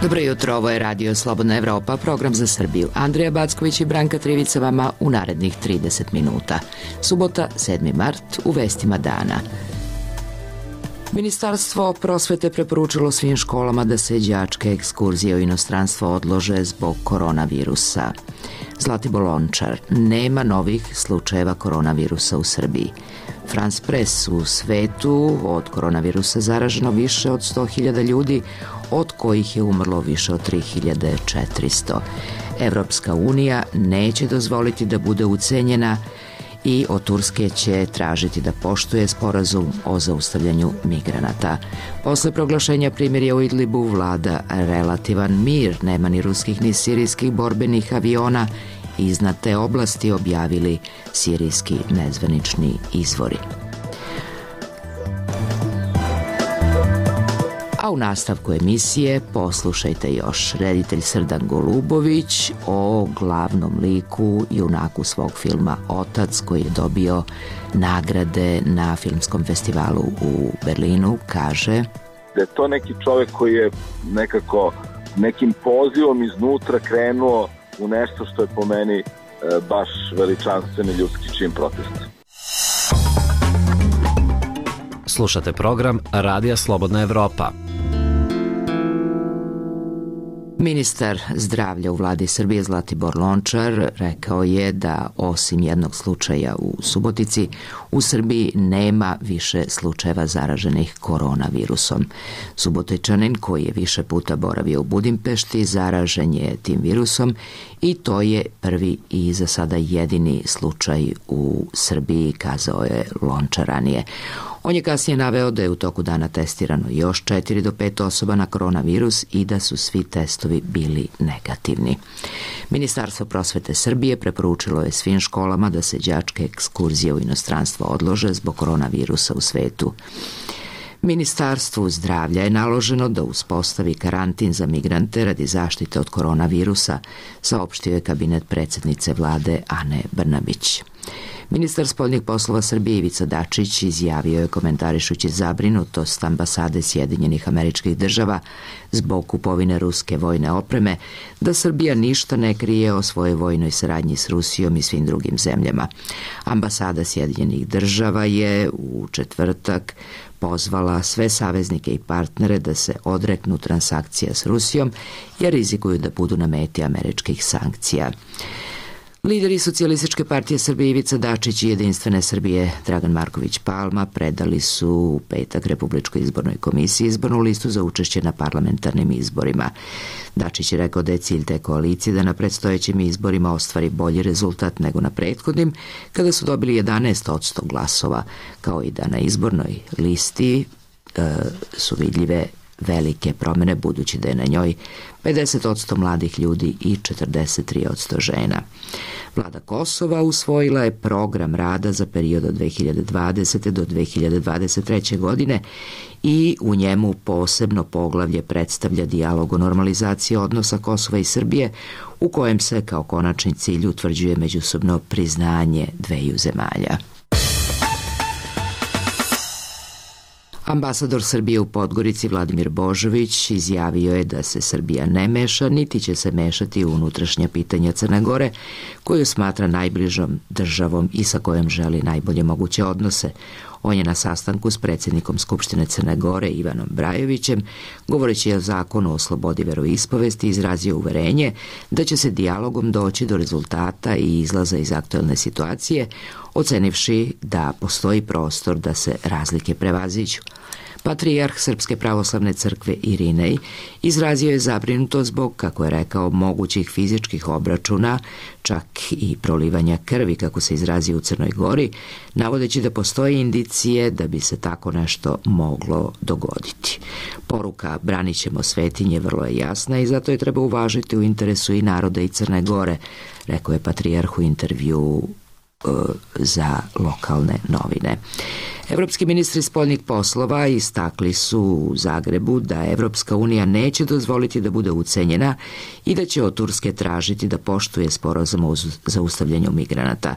Dobro jutro, ovo je Radio Slobodna Evropa, program za Srbiju. Andrija Backović i Branka Trivica vama u narednih 30 minuta. Subota, 7. mart, u vestima dana. Ministarstvo prosvete preporučilo svim školama da se đačke ekskurzije u inostranstvo odlože zbog koronavirusa. Zlatibor Lončar, nema novih slučajeva koronavirusa u Srbiji. France Press, u svetu od koronavirusa zaraženo više od 100.000 ljudi, od kojih je umrlo više od 3.400. Evropska unija neće dozvoliti da bude ucenjena i od Turske će tražiti da poštuje sporazum o zaustavljanju migranata. Posle proglašenja primirja u Idlibu vlada relativan mir, nema ni ruskih ni sirijskih borbenih aviona, iznad te oblasti objavili sirijski nezvanični izvori. A u nastavku emisije poslušajte još reditelj Srdan Golubović o glavnom liku, junaku svog filma Otac, koji je dobio nagrade na filmskom festivalu u Berlinu, kaže da je to neki čovjek koji je nekako nekim pozivom iznutra krenuo u nešto što je po meni baš veličanstveni ljudski čin protesta. Slušate program Radija Slobodna Evropa. Ministar zdravlja u vladi Srbije Zlatibor Lončar rekao je da osim jednog slučaja u Subotici, u Srbiji nema više slučajeva zaraženih koronavirusom. Subotičanin koji je više puta boravio u Budimpešti zaražen je tim virusom i to je prvi i za sada jedini slučaj u Srbiji, kazao je Lončar ranije. On je kasnije naveo da je u toku dana testirano još 4 do 5 osoba na koronavirus i da su svi testovi bili negativni. Ministarstvo prosvete Srbije preporučilo je svim školama da se đačke ekskurzije u inostranstvo odlože zbog koronavirusa u svetu. Ministarstvu zdravlja je naloženo da uspostavi karantin za migrante radi zaštite od koronavirusa, saopštio je kabinet predsjednice vlade Ane Brnabić. Ministar spoljnih poslova Srbije Ivica Dačić izjavio je, komentarišući zabrinutost ambasade Sjedinjenih Američkih Država zbog kupovine ruske vojne opreme, da Srbija ništa ne krije o svojoj vojnoj saradnji s Rusijom i svim drugim zemljama. Ambasada Sjedinjenih Država je u četvrtak pozvala sve saveznike i partnere da se odreknu transakcija s Rusijom jer rizikuju da budu na meti američkih sankcija. Lideri Socijalističke partije Srbije Ivica Dačić i Jedinstvene Srbije Dragan Marković Palma predali su u petak Republičkoj izbornoj komisiji izbornu listu za učešće na parlamentarnim izborima. Dačić je rekao da je cilj te koalicije da na predstojećim izborima ostvari bolji rezultat nego na prethodnim, kada su dobili 11% glasova, kao i da na izbornoj listi su vidljive velike promjene, budući da je na njoj 50% mladih ljudi i 43% žena. Vlada Kosova usvojila je program rada za period od 2020. do 2023. godine i u njemu posebno poglavlje predstavlja dijalog o normalizaciji odnosa Kosova i Srbije, u kojem se kao konačni cilj utvrđuje međusobno priznanje dveju zemalja. Ambasador Srbije u Podgorici Vladimir Božović izjavio je da se Srbija ne meša, niti će se mešati u unutrašnja pitanja Crne Gore, koju smatra najbližom državom i sa kojom želi najbolje moguće odnose. On je na sastanku s predsjednikom Skupštine Crne Gore Ivanom Brajovićem, govoreći o zakonu o slobodi veroispovesti, izrazio uverenje da će se dijalogom doći do rezultata i izlaza iz aktuelne situacije, ocenivši da postoji prostor da se razlike prevaziđu. Patrijarh Srpske pravoslavne crkve Irinej izrazio je zabrinutost zbog, kako je rekao, mogućih fizičkih obračuna, čak i prolivanja krvi, kako se izrazio u Crnoj Gori, navodeći da postoje indicije da bi se tako nešto moglo dogoditi. Poruka "branit ćemo svetinje" vrlo je jasna i zato je treba uvažiti u interesu i naroda i Crne Gore, rekao je patrijarh u intervjuu za lokalne novine. Evropski ministri spoljnih poslova istakli su u Zagrebu da Evropska unija neće dozvoliti da bude ucenjena i da će od Turske tražiti da poštuje sporazum o zaustavljanju migranata.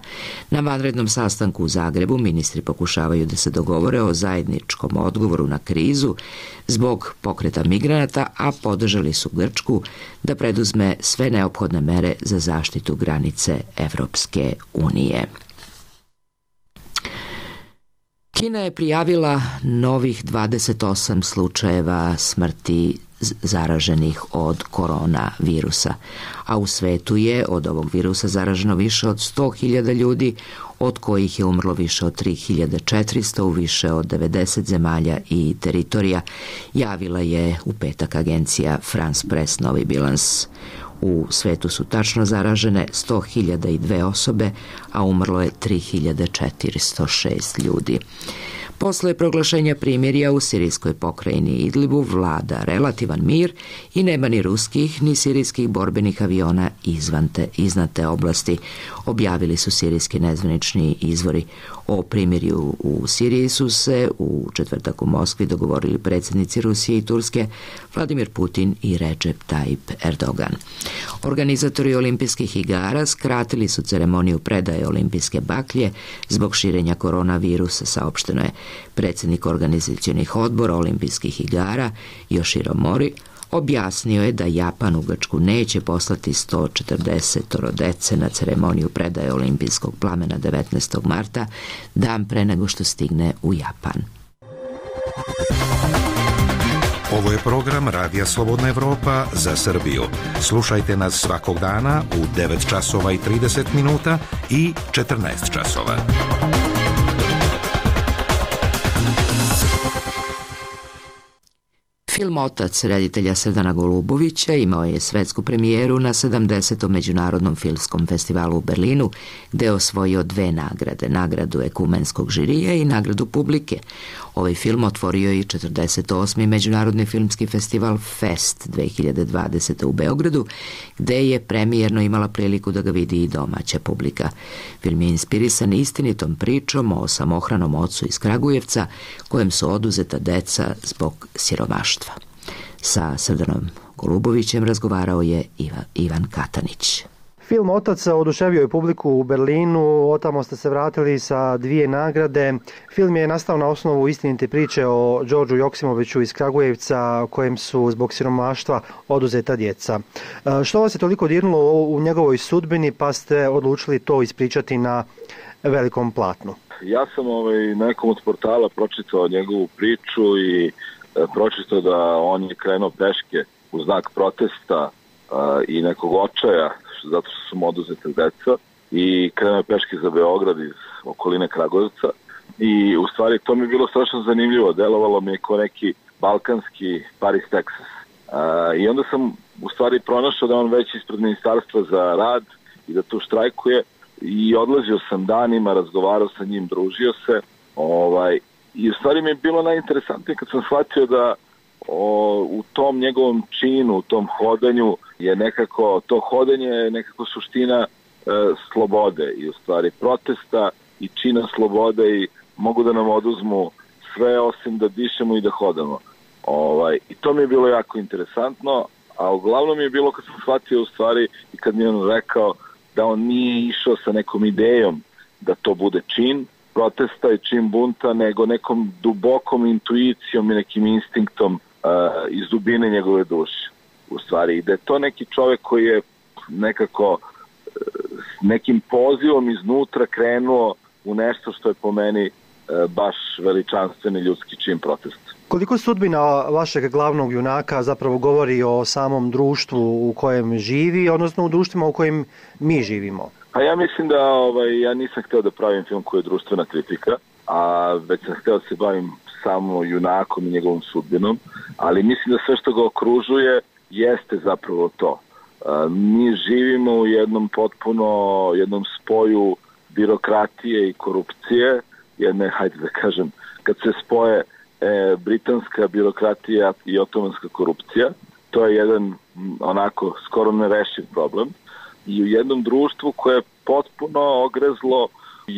Na vanrednom sastanku u Zagrebu ministri pokušavaju da se dogovore o zajedničkom odgovoru na krizu zbog pokreta migranata, a podržali su Grčku da preduzme sve neophodne mere za zaštitu granice Evropske unije. Kina je prijavila novih 28 slučajeva smrti zaraženih od koronavirusa, a u svetu je od ovog virusa zaraženo više od 100.000 ljudi, od kojih je umrlo više od 3.400 u više od 90 zemalja i teritorija, javila je u petak agencija France Press novi bilans. U svetu su tačno zaražene 100.002 osobe, a umrlo je 3.406 ljudi. Posle proglašenja primirja u sirijskoj pokrajini Idlibu vlada relativan mir i nema ni ruskih ni sirijskih borbenih aviona iznad te oblasti, objavili su sirijski nezvanični izvori. O primirju u Siriji su se u četvrtak u Moskvi dogovorili predsjednici Rusije i Turske Vladimir Putin i Recep Tayyip Erdogan. Organizatori olimpijskih igara skratili su ceremoniju predaje olimpijske baklje zbog širenja koronavirusa, saopšteno je. Predsjednik organizacionih odbora olimpijskih igara Yoshiro Mori objasnio je da Japan u Grčku neće poslati 140 dece na ceremoniju predaje olimpijskog plamena 19. marta, dan pre nego što stigne u Japan. Ovo je program Radija Slobodna Evropa za Srbiju. Slušajte nas svakog dana u 9 časova i 30 minuta i 14 časova. Film Otac reditelja Srdana Golubovića imao je svetsku premijeru na 70. Međunarodnom filmskom festivalu u Berlinu, gde je osvojio 2 nagrade, nagradu ekumenskog žirija i nagradu publike. Ovaj film otvorio i 48. Međunarodni filmski festival Fest 2020. u Beogradu, gde je premijerno imala priliku da ga vidi i domaća publika. Film je inspirisan istinitom pričom o samohranom ocu iz Kragujevca, kojem su oduzeta deca zbog siromaštva. Sa Srdanom Golubovićem razgovarao je Ivan Katanić. Film Otac oduševio je publiku u Berlinu, otamo ste se vratili sa 2 nagrade. Film je nastao na osnovu istinite priče o Đorđu Joksimoviću iz Kragujevca, kojem su zbog siromaštva oduzeta djeca. Što vas je toliko dirnulo u njegovoj sudbini, pa ste odlučili to ispričati na velikom platnu? Ja sam na nekom od portala pročitao njegovu priču i pročitao da on je krenuo peške u znak protesta i nekog očaja zato što su mu oduzete deca i krenuo je peške za Beograd iz okoline Kragujevca i u stvari to mi je bilo strašno zanimljivo, delovalo mi je kao neki balkanski Paris, Texas. I onda sam u stvari pronašao da on već ispred ministarstva za rad i da tu štrajkuje i odlazio sam danima, razgovarao sa njim, družio se i u stvari mi je bilo najinteresantnije kad sam shvatio da u tom njegovom činu, u tom hodanju je nekako, to hodanje je nekako suština slobode i u stvari protesta i čina slobode i mogu da nam oduzmu sve osim da dišemo i da hodamo. I to mi je bilo jako interesantno, a uglavnom mi je bilo kad sam shvatio u stvari i kad mi je on rekao da on nije išao sa nekom idejom da to bude čin protesta i čin bunta, nego nekom dubokom intuicijom i nekim instinktom iz dubine njegove duše. U stvari, i da je to neki čovjek koji je nekako nekim pozivom iznutra krenuo u nešto što je po meni baš veličanstveni ljudski čin protesta. Koliko sudbina vašeg glavnog junaka zapravo govori o samom društvu u kojem živi, odnosno u društvima u kojim mi živimo? Pa ja mislim da ja nisam htio da pravim film koji je društvena kritika, a već sam htio da se bavim samo junakom i njegovom sudbinom, ali mislim da sve što ga okružuje jeste zapravo to. Mi živimo u jednom spoju birokratije i korupcije, jedne, hajde da kažem, kad se spoje britanska birokratija i otomanska korupcija, to je jedan onako skoro nerešiv problem i u jednom društvu koje je potpuno ogrezlo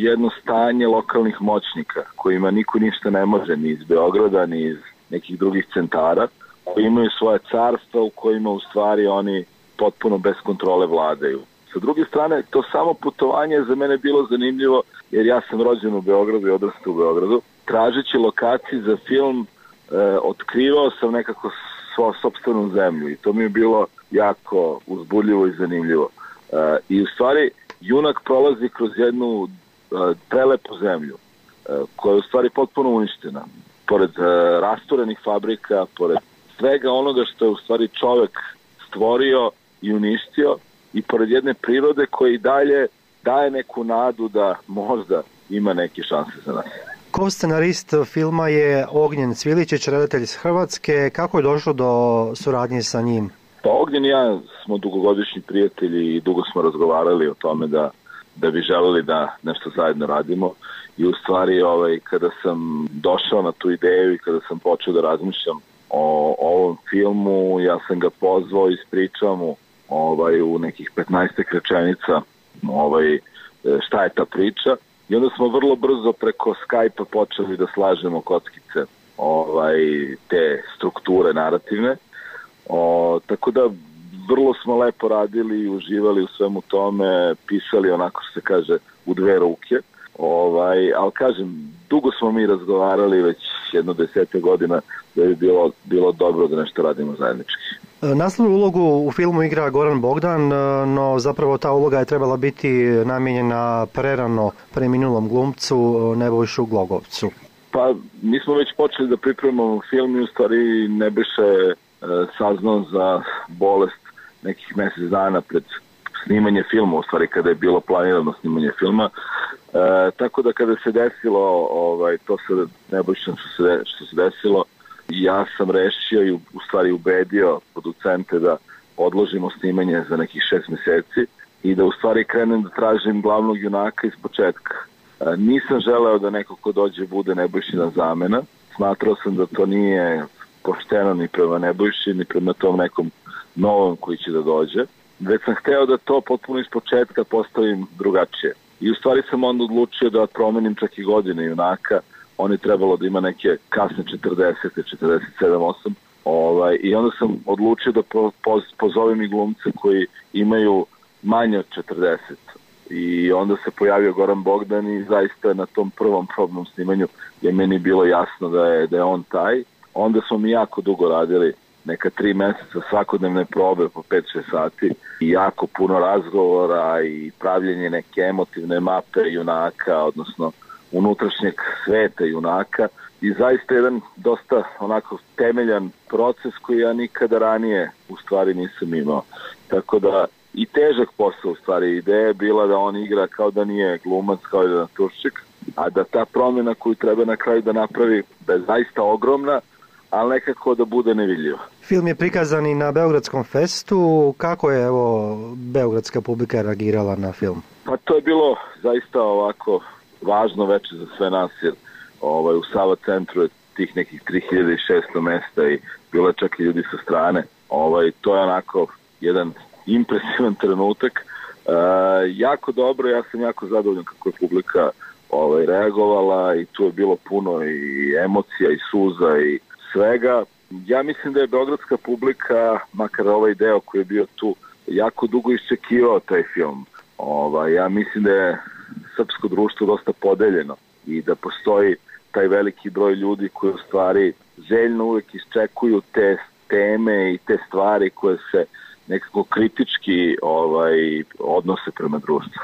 jedno stanje lokalnih moćnika kojima niko ništa ne može ni iz Beograda ni iz nekih drugih centara, koji imaju svoje carstva u kojima u stvari oni potpuno bez kontrole vladaju. Sa druge strane, to samo putovanje je za mene bilo zanimljivo jer ja sam rođen u Beogradu i odrastao u Beogradu. Tražeći lokaciju za film otkrivao sam nekako svoju sopstvenu zemlju i to mi je bilo jako uzbudljivo i zanimljivo. I u stvari junak prolazi kroz jednu prelepu zemlju koja je u stvari potpuno uništena. Pored rasturenih fabrika, pored svega onoga što je u stvari čovek stvorio i uništio i pored jedne prirode koja i dalje daje neku nadu da možda ima neke šanse za nas. Ko-scenarist filma je Ognjen Cviličić, redatelj iz Hrvatske. Kako je došlo do suradnje sa njim? Pa Ognjen i ja smo dugogodišnji prijatelji i dugo smo razgovarali o tome da bi želeli da nešto zajedno radimo. I u stvari kada sam došao na tu ideju i kada sam počeo da razmišljam o ovom filmu, ja sam ga pozvao i ispričao mu u nekih 15 rečenica šta je ta priča. I onda smo vrlo brzo preko Skype-a počeli da slažemo kockice te strukture narativne. Tako da vrlo smo lepo radili i uživali u svemu tome, pisali onako što se kaže u dve ruke. Ali kažem, dugo smo mi razgovarali već jedno 10 godina da bi bilo dobro da nešto radimo zajednički. Naslovnu ulogu u filmu igra Goran Bogdan, no zapravo ta uloga je trebala biti namijenjena prerano preminulom glumcu Nebojšu Glogovcu. Pa mi smo već počeli da pripremamo film i u stvari Nebojša saznao za bolest nekih mjesec dana pred snimanje filma, u stvari kada je bilo planirano snimanje filma. Tako da kada se desilo to sa Nebojšom što se desilo, ja sam rešio i u stvari ubedio producente da odložimo snimanje za nekih 6 mjeseci i da u stvari krenem da tražim glavnog junaka iz početka. Nisam želeo da neko ko dođe bude Nebojšina zamena. Smatrao sam da to nije pošteno ni prema Nebojši, ni prema tom nekom novom koji će da dođe. Već sam hteo da to potpuno iz početka postavim drugačije. I u stvari sam onda odlučio da promenim čak i godine junaka. On je trebalo da ima neke kasne 40, 47, 8. I onda sam odlučio da pozovem i glumce koji imaju manje od 40. I onda se pojavio Goran Bogdan i zaista na tom prvom probnom snimanju je meni bilo jasno da je on taj. Onda smo mi jako dugo radili, neka 3 mjeseca svakodnevne probe po 5-6 sati i jako puno razgovora i pravljenje neke emotivne mape junaka, odnosno unutrašnjeg sveta junaka i zaista jedan dosta onako temeljan proces koji ja nikada ranije u stvari nisam imao. Tako da i težak posao u stvari. Ideja je bila da on igra kao da nije glumac, kao da je naturščik, a da ta promjena koju treba na kraju da napravi da je zaista ogromna, ali nekako da bude nevidljiva. Film je prikazan i na Beogradskom festu. Kako je beogradska publika reagirala na film? Pa to je bilo zaista ovako važno veče za sve nas, jer u Sava centru je tih nekih 3600 mesta i bilo je čak i ljudi sa strane. To je onako jedan impresivan trenutak. Jako dobro, ja sam jako zadovoljan kako je publika reagovala i tu je bilo puno i emocija i suza i svega. Ja mislim da je beogradska publika, makar ovaj deo koji je bio tu, jako dugo iščekivao taj film. Ja mislim da je srpsko društvo dosta podeljeno i da postoji taj veliki broj ljudi koji u stvari željno uvek iščekuju te teme i te stvari koje se nekako kritički odnose prema društvu.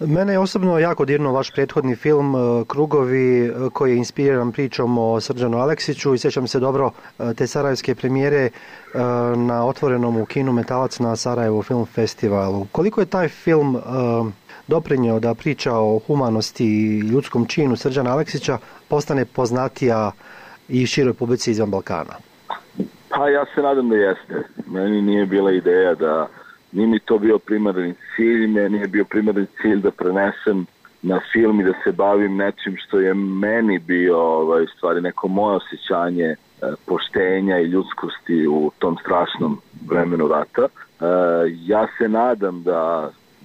Mene je osobno jako dirnuo vaš prethodni film Krugovi, koji je inspiriran pričom o Srđanu Aleksiću i sjećam se dobro te sarajevske premijere na otvorenom u kinu Metalac na Sarajevo film festivalu. Koliko je taj film doprinjeo da priča o humanosti i ljudskom činu Srđana Aleksića postane poznatija i široj publici izvan Balkana? Pa ja se nadam da jeste. Meni nije bila ideja da nije mi to bio primarni cilj, meni je bio primarni cilj da prenesem na film i da se bavim nečim što je meni bio stvari neko moje osjećanje poštenja i ljudskosti u tom strašnom vremenu rata. Ja se nadam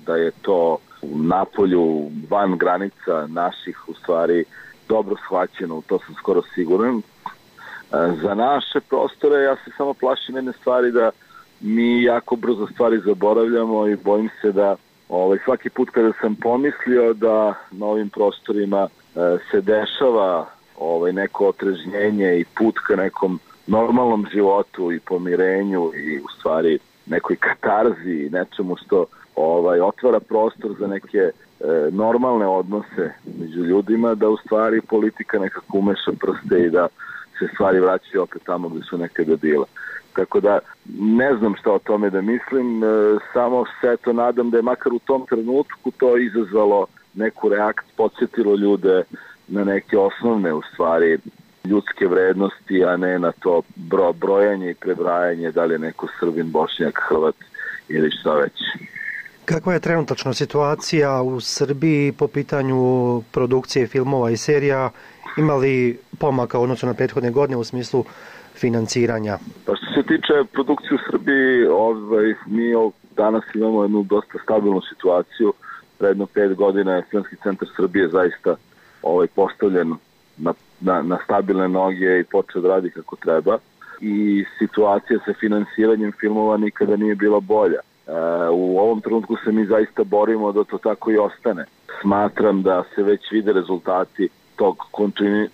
da je to napolju, van granica naših, u stvari dobro shvaćeno, to sam skoro siguran. Za naše prostore ja se samo plašim jedne stvari, da mi jako brzo stvari zaboravljamo i bojim se da svaki put kada sam pomislio da na ovim prostorima se dešava neko otrežnjenje i put ka nekom normalnom životu i pomirenju i u stvari nekoj katarzi i nečemu što otvara prostor za neke normalne odnose među ljudima, da u stvari politika nekako umeša prste i da se stvari vraćaju opet tamo gde su nekada bila. Tako da ne znam šta o tome da mislim, samo se to nadam da je makar u tom trenutku to izazvalo neku reakciju, podsjetilo ljude na neke osnovne u stvari ljudske vrednosti, a ne na to brojanje i prebrajanje da li je neko Srbin, Bošnjak, Hrvat ili šta već. Kakva je trenutačna situacija u Srbiji po pitanju produkcije filmova i serija? Ima li pomaka u odnosu na prethodne godine u smislu financiranja? Pa što se tiče produkcije u Srbiji, mi danas imamo jednu dosta stabilnu situaciju. Predno 5 godina je Filmski centar Srbije zaista postavljen na stabilne noge i počeo da radi kako treba. I situacija sa finansiranjem filmova nikada nije bila bolja. U ovom trenutku se mi zaista borimo da to tako i ostane. Smatram da se već vide rezultati tog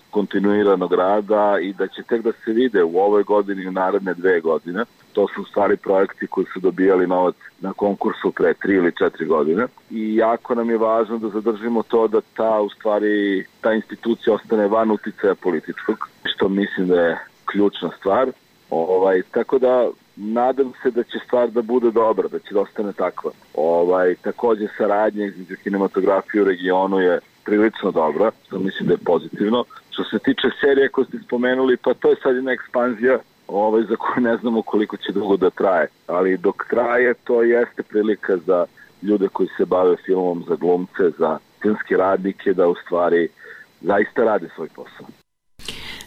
kontinuiranog rada i da će tek da se vide u ovoj godini i u naredne 2 godine. To su u stvari projekti koji su dobijali novac na konkursu pre 3 ili 4 godine. I jako nam je važno da zadržimo to da ta institucija ostane van uticaja političkog, što mislim da je ključna stvar. Tako da nadam se da će stvar da bude dobra, da će da ostane takva. Takođe saradnja između kinematografije u regionu je prilično dobra, što mislim da je pozitivno. Što se tiče serije koje ste spomenuli, pa to je sad jedna ekspanzija za koju ne znamo koliko će dugo da traje. Ali dok traje, to jeste prilika za ljude koji se bave filmom, za glumce, za filmske radnike, da u stvari zaista rade svoj posao.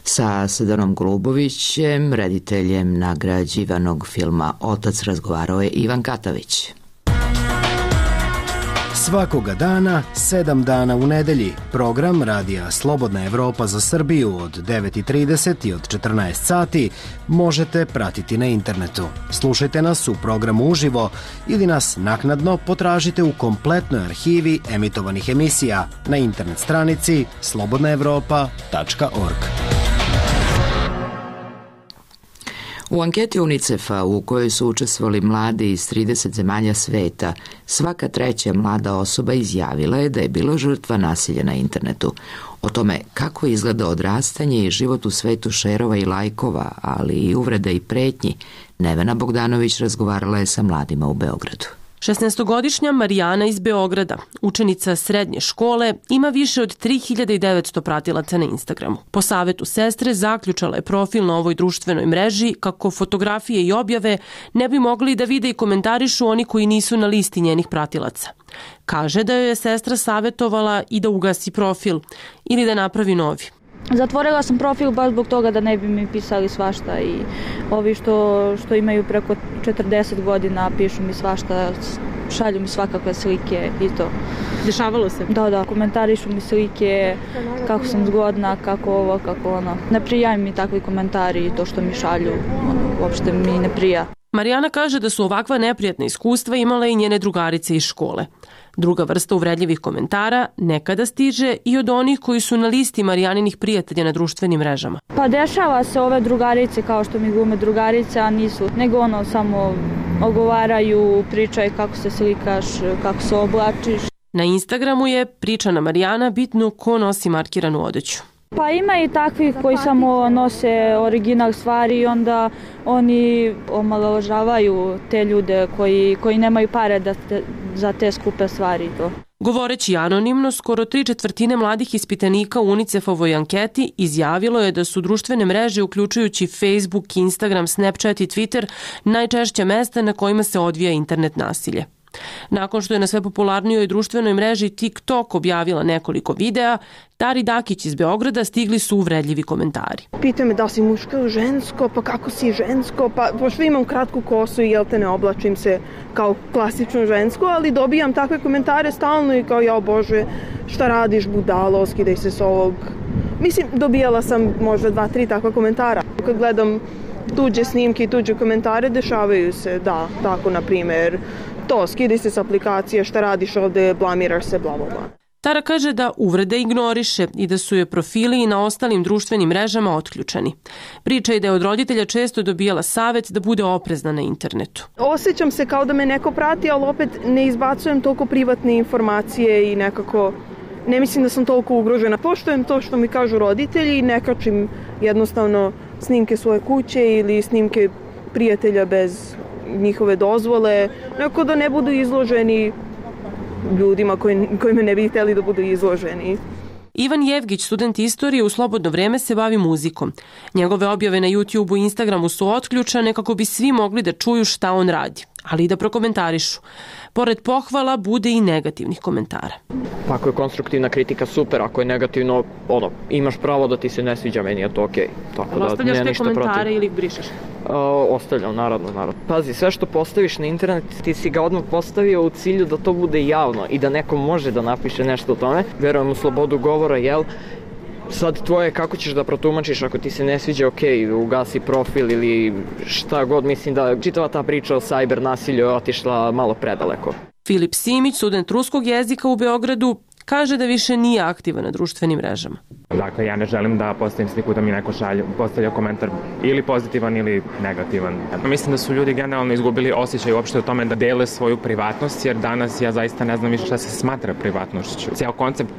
Sa Sedanom Golubovićem, rediteljem nagrađivanog filma Otac, razgovarao je Ivan Katavić. Svakoga dana, 7 dana u nedelji, program Radija Slobodna Evropa za Srbiju od 9:30 i od 14 sati možete pratiti na internetu. Slušajte nas u programu uživo ili nas naknadno potražite u kompletnoj arhivi emitovanih emisija na internet stranici slobodnaevropa.org. U anketi UNICEF-a u kojoj su učestvovali mladi iz 30 zemalja sveta, svaka 3. mlada osoba izjavila je da je bila žrtva nasilja na internetu. O tome kako izgleda odrastanje i život u svetu šerova i lajkova, ali i uvreda i pretnji, Nevena Bogdanović razgovarala je sa mladima u Beogradu. 16-godišnja Marijana iz Beograda, učenica srednje škole, ima više od 3900 pratilaca na Instagramu. Po savetu sestre zaključala je profil na ovoj društvenoj mreži kako fotografije i objave ne bi mogli da vide i komentarišu oni koji nisu na listi njenih pratilaca. Kaže da joj je sestra savjetovala i da ugasi profil ili da napravi novi. Zatvorila sam profil baš zbog toga da ne bi mi pisali svašta i ovi što imaju preko 40 godina pišu mi svašta, šalju mi svakakve slike i to. Dešavalo se? Da, komentarišu mi slike, kako sam zgodna, kako ovo, kako ono. Ne prijaju mi takvi komentari i to što mi šalju, uopšte mi ne prija. Marijana kaže da su ovakva neprijatna iskustva imale i njene drugarice iz škole. Druga vrsta uvredljivih komentara nekada stiže i od onih koji su na listi Marijaninih prijatelja na društvenim mrežama. Pa dešava se ove drugarice kao što mi glume drugarice, a nisu, nego samo ogovaraju, pričaju kako se slikaš, kako se oblačiš. Na Instagramu je, pričana Marijana, bitno ko nosi markiranu odeću. Pa ima i takvih koji samo nose original stvari i onda oni omalovažavaju te ljude koji nemaju pare za te skupe stvari i to. Govoreći anonimno, skoro 3/4 mladih ispitanika u UNICEF-ovoj anketi izjavilo je da su društvene mreže, uključujući Facebook, Instagram, Snapchat i Twitter, najčešća mesta na kojima se odvija internet nasilje. Nakon što je na sve popularnijoj društvenoj mreži TikTok objavila nekoliko videa, Tari Dakić iz Beograda stigli su uvredljivi komentari. Pitaju me da si muško ili žensko, pa kako si žensko, pa pošto imam kratku kosu i jel te ne oblačim se kao klasično žensko, ali dobijam takve komentare stalno i kao ja bože, šta radiš budalo, skidaj se s ovog. Mislim, dobijala sam možda 2-3 takva komentara. Kad gledam tuđe snimke i tuđe komentare, dešavaju se, da, tako na primjer, to, skidaj se s aplikacije, šta radiš ovde, blamiraš se, bla, bla, bla. Tara kaže da uvrede ignoriše i da su joj profili i na ostalim društvenim mrežama otključeni. Priča je da je od roditelja često dobijala savet da bude oprezna na internetu. Osjećam se kao da me neko prati, ali opet ne izbacujem toliko privatne informacije i nekako ne mislim da sam toliko ugrožena. Poštujem to što mi kažu roditelji i ne kačim jednostavno snimke svoje kuće ili snimke prijatelja bez njihove dozvole, nekako da ne budu izloženi ljudima koji me ne bi htjeli da budu izloženi. Ivan Jevgić, student istorije, u slobodno vreme se bavi muzikom. Njegove objave na YouTubeu i Instagramu su otključane kako bi svi mogli da čuju šta on radi, ali i da prokomentarišu. Pored pohvala bude i negativnih komentara. Pa ako je konstruktivna kritika super, ako je negativno, imaš pravo da ti se ne sviđa, meni je to okej. Ali ostavljaš te komentare ili ih brišeš? Ostavljam, naravno. Pazi, sve što postaviš na internet, ti si ga odmah postavio u cilju da to bude javno i da neko može da napiše nešto o tome. Verujem u slobodu govora, jel? Sad tvoje kako ćeš da protumačiš, ako ti se ne sviđa, okej, ugasi profil ili šta god, mislim da čitava ta priča o cyber nasilju je otišla malo predaleko. Filip Simić, student ruskog jezika u Beogradu, kaže da više nije aktivan na društvenim mrežama. Dakle, ja ne želim da postavim sliku da mi neko postavlja komentar ili pozitivan ili negativan. Mislim da su ljudi generalno izgubili osjećaj uopšte o tome da dele svoju privatnost, jer danas ja zaista ne znam više šta se smatra privatnošću. Cijel koncept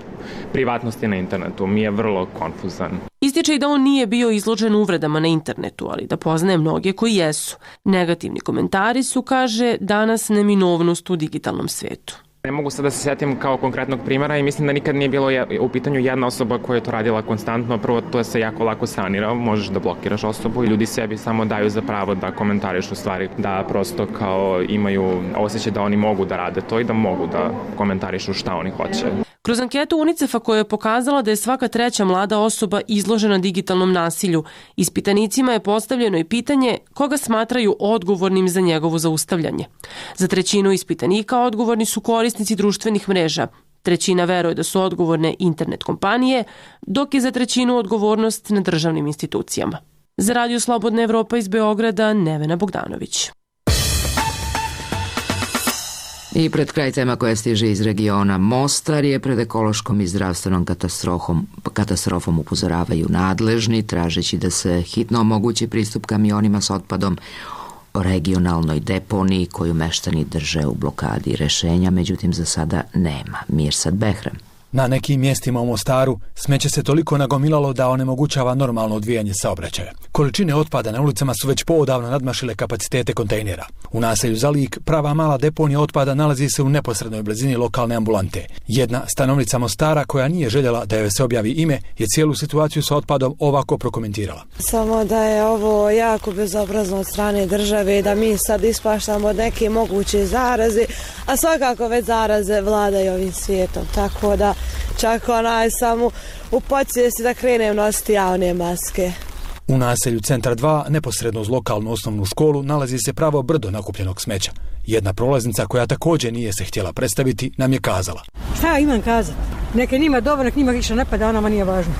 privatnosti na internetu mi je vrlo konfuzan. Ističe i da on nije bio izložen uvredama na internetu, ali da poznaje mnoge koji jesu. Negativni komentari su, kaže, danas neminovnost u digitalnom svetu. Ne mogu sad da se sjetim kao konkretnog primjera i mislim da nikad nije bilo u pitanju jedna osoba koja je to radila konstantno. Prvo, to se jako lako sanira, možeš da blokiraš osobu i ljudi sebi samo daju za pravo da komentarišu stvari, da prosto kao imaju osjećaj da oni mogu da rade to i da mogu da komentarišu šta oni hoće. Kroz anketu UNICEF-a koja je pokazala da je svaka treća mlada osoba izložena digitalnom nasilju, ispitanicima je postavljeno i pitanje koga smatraju odgovornim za njegovo zaustavljanje. Za trećinu ispitanika odgovorni su korisnici društvenih mreža. Trećina veruje da su odgovorne internet kompanije, dok je za trećinu odgovornost na državnim institucijama. Za Radio Slobodna Evropa iz Beograda, Nevena Bogdanović. I pred kraj tema koja stiže iz regiona, Mostar je pred ekološkom i zdravstvenom katastrofom upozoravaju nadležni, tražeći da se hitno omogući pristup kamionima s otpadom o regionalnoj deponiji koju meštani drže u blokadi. Rešenja, međutim, za sada nema. Mirsad Behram. Na nekim mjestima u Mostaru smeće se toliko nagomilalo da onemogućava normalno odvijanje saobraćaja. Količine otpada na ulicama su već poodavno nadmašile kapacitete kontejnera. U naselju Zalik prava mala deponija otpada nalazi se u neposrednoj blizini lokalne ambulante. Jedna stanovnica Mostara koja nije željela da joj se objavi ime je cijelu situaciju sa otpadom ovako prokomentirala. Samo da je ovo jako bezobrazno od strane države, da mi sad ispaštamo od neke moguće zaraze, a svakako već zaraze vladaju ovim svijetom, tako da čak samo u podsvijesti da krenem nositi javne maske. U naselju Centar 2, neposredno uz lokalnu osnovnu školu, nalazi se pravo brdo nakupljenog smeća. Jedna prolaznica koja također nije se htjela predstaviti nam je kazala. Šta ja imam kazati? Neka njima dobro, nek njima više ne pada, a nama nije važno.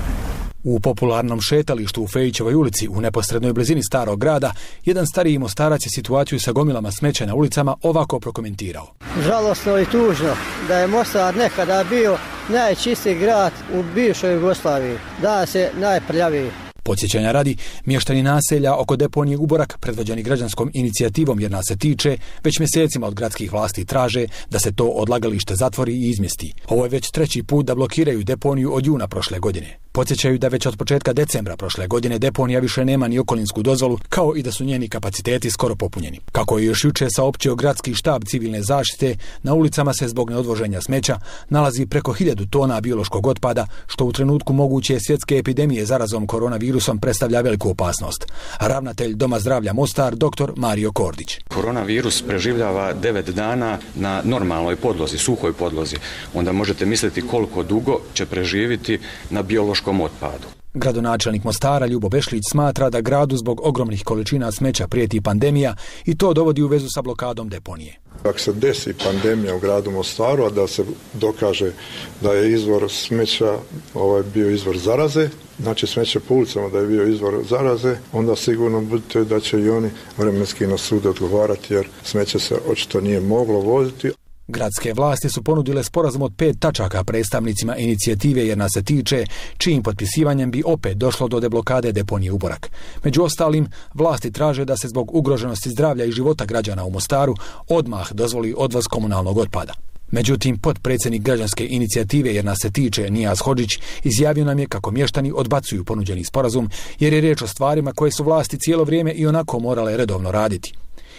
U popularnom šetalištu u Fejićevoj ulici u neposrednoj blizini starog grada, jedan stariji Mostarac je situaciju sa gomilama smeća na ulicama ovako prokomentirao. Žalosno i tužno da je Mostar nekada bio najčistiji grad u bivšoj Jugoslaviji, danas je najprljaviji. Podsjećanja radi, mještani naselja oko deponije Uborak, predvođeni građanskom inicijativom jer nas se tiče, već mjesecima od gradskih vlasti traže da se to odlagalište zatvori i izmjesti. Ovo je već treći put da blokiraju deponiju od juna prošle godine. Podsjećaju da već od početka decembra prošle godine deponija više nema ni okolinsku dozvolu, kao i da su njeni kapaciteti skoro popunjeni. Kako je još jučer saopćio gradski štab civilne zaštite, na ulicama se zbog neodvoženja smeća nalazi preko 1000 tona biološkog otpada, što u trenutku moguće svjetske epidemije zarazom koronavirusom predstavlja veliku opasnost. Ravnatelj Doma zdravlja Mostar, dr. Mario Kordić. Koronavirus preživljava 9 dana na normalnoj podlozi, suhoj podlozi. Onda možete misliti koliko dugo će preživiti na biološkom otpadu. Gradonačelnik Mostara Ljubo Bešlić smatra da gradu zbog ogromnih količina smeća prijeti pandemija i to dovodi u vezu sa blokadom deponije. Ako se desi pandemija u gradu Mostaru, a da se dokaže da je izvor smeća bio izvor zaraze, znači smeće po ulicama da je bio izvor zaraze, onda sigurno budite da će i oni vremenski na sud odgovarati jer smeće se očito nije moglo voziti. Gradske vlasti su ponudile sporazum od 5 tačaka predstavnicima inicijative Jer nas se tiče, čijim potpisivanjem bi opet došlo do deblokade deponije Uborak. Među ostalim, vlasti traže da se zbog ugroženosti zdravlja i života građana u Mostaru odmah dozvoli odvoz komunalnog otpada. Međutim, potpredsjednik građanske inicijative Jer nas se tiče, Nijaz Hodžić, izjavio nam je kako mještani odbacuju ponuđeni sporazum jer je riječ o stvarima koje su vlasti cijelo vrijeme i onako morale redovno raditi.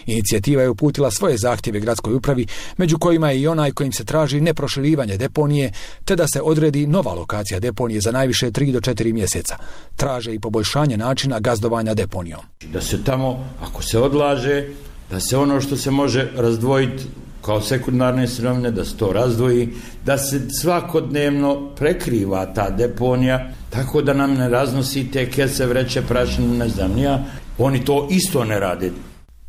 Inicijativa je uputila svoje zahtjeve gradskoj upravi, među kojima je i onaj kojim se traži neproširivanje deponije, te da se odredi nova lokacija deponije za najviše 3 do 4 mjeseca. Traže i poboljšanje načina gazdovanja deponijom. Da se tamo, ako se odlaže, da se ono što se može razdvojiti kao sekundarne sirovine, da se to razdvoji, da se svakodnevno prekriva ta deponija, tako da nam ne raznosi te kese, vreće, prašinu, ne znam nija. Oni to isto ne rade.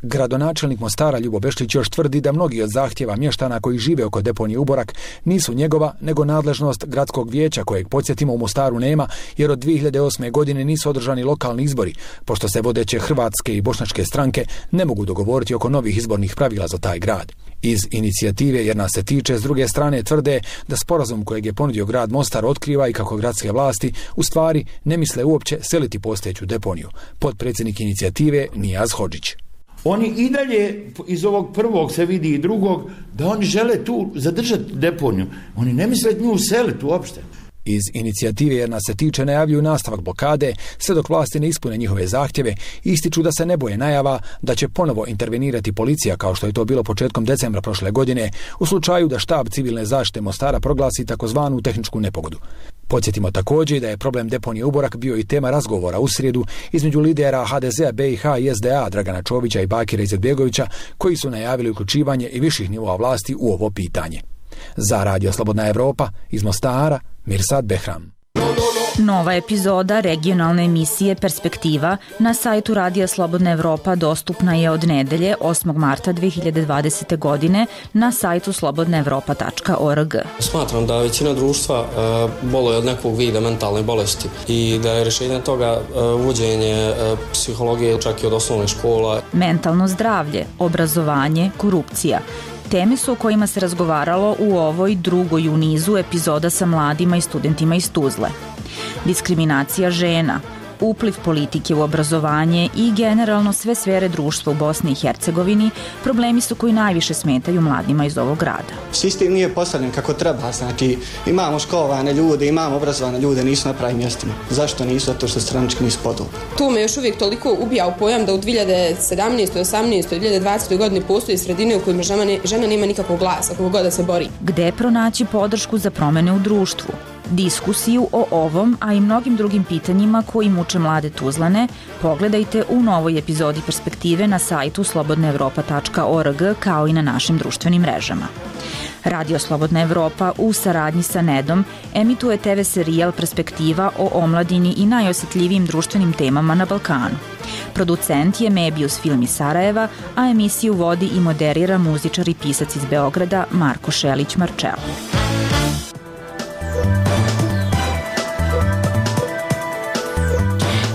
Gradonačelnik Mostara Ljubo Bešlić još tvrdi da mnogi od zahtjeva mještana koji žive oko deponije Uborak nisu njegova, nego nadležnost gradskog vijeća kojeg, podsjetimo, u Mostaru nema, jer od 2008. godine nisu održani lokalni izbori, pošto se vodeće hrvatske i bošnjačke stranke ne mogu dogovoriti oko novih izbornih pravila za taj grad. Iz inicijative Jer nas se tiče, s druge strane, tvrde da sporazum kojeg je ponudio grad Mostar otkriva i kako gradske vlasti u stvari ne misle uopće seliti postojeću deponiju. Potpredsjednik inicijative Nijaz Hodžić. Oni i dalje, iz ovog prvog se vidi i drugog, da oni žele tu zadržati deponiju. Oni ne misle nju useliti uopšte. Iz inicijative Jer nas se tiče najavljuju nastavak blokade, sve dok vlasti ne ispune njihove zahtjeve, ističu da se ne boje najava da će ponovo intervenirati policija, kao što je to bilo početkom decembra prošle godine, u slučaju da štab civilne zaštite Mostara proglasi takozvanu tehničku nepogodu. Podsjetimo također da je problem deponije Uborak bio i tema razgovora u srijedu između lidera HDZ-a BiH i SDA Dragana Čovića i Bakira Izetbegovića, koji su najavili uključivanje i viših nivoa vlasti u ovo pitanje. Za Radio Slobodna Evropa, iz Mostara, Mirsad Behram. Nova epizoda regionalne emisije Perspektiva na sajtu Radija Slobodna Evropa dostupna je od nedelje 8. marta 2020. godine na sajtu slobodnaevropa.org. Smatram da većina društva boluje od nekog vida mentalne bolesti i da je rješenje toga uvođenje psihologije čak i od osnovnih škola. Mentalno zdravlje, obrazovanje, korupcija. Teme su o kojima se razgovaralo u ovoj drugoj u nizu epizoda sa mladima i studentima iz Tuzle. Diskriminacija žena, upliv politike u obrazovanje i generalno sve sfere društva u Bosni i Hercegovini problemi su koji najviše smetaju mladima iz ovog grada. Sistem nije postavljen kako treba, znači imamo školovane ljude, imamo obrazovane ljude, nisu na pravim mjestima. Zašto nisu? Zato što stranački nisu podobni. To me još uvijek toliko ubija u pojam da u 2017., 18., 2020. godini postoji sredine u kojima žena nema nikakvog glasa, kako god da se bori. Gde pronaći podršku za promjene u društvu? Diskusiju o ovom, a i mnogim drugim pitanjima koji muče mlade Tuzlane, pogledajte u novoj epizodi Perspektive na sajtu slobodnaevropa.org kao i na našim društvenim mrežama. Radio Slobodna Evropa u saradnji sa Nedom emituje TV serijal Perspektiva o omladini i najosjetljivijim društvenim temama na Balkanu. Producent je Mebius Film iz Sarajeva, a emisiju vodi i moderira muzičar i pisac iz Beograda Marko Šelić-Marčel.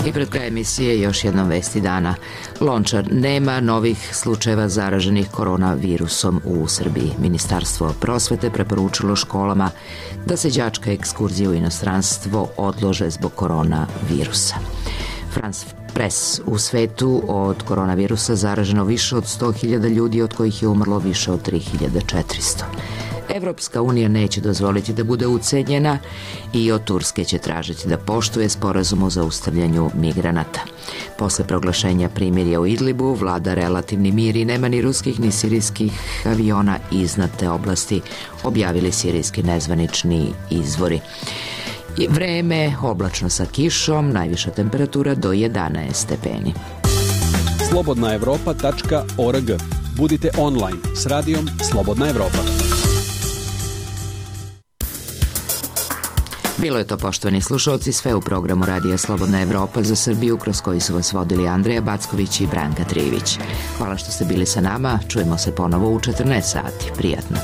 I pred kraj emisije još jednom vesti dana. Lončar, nema novih slučajeva zaraženih koronavirusom u Srbiji. Ministarstvo prosvete preporučilo školama da se đačke ekskurzije u inostranstvo odlože zbog koronavirusa. France Press, u svetu od koronavirusa zaraženo više od 100.000 ljudi, od kojih je umrlo više od 3.400. Evropska unija neće dozvoliti da bude ucenjena i od Turske će tražiti da poštuje sporazum o zaustavljanju migranata. Posle proglašenja primirja u Idlibu vlada relativni mir i nema ni ruskih ni sirijskih aviona iznad te oblasti, objavili sirijski nezvanični izvori. Vreme oblačno sa kišom, najviša temperatura do 11 stepeni. slobodnaevropa.org Budite online s radijom Slobodna Evropa. Bilo je to, poštovani slušalci, sve u programu Radija Slobodna Evropa za Srbiju, kroz koji su vas vodili Andreja Backović i Branka Trivić. Hvala što ste bili sa nama, čujemo se ponovo u 14 sati. Prijatno.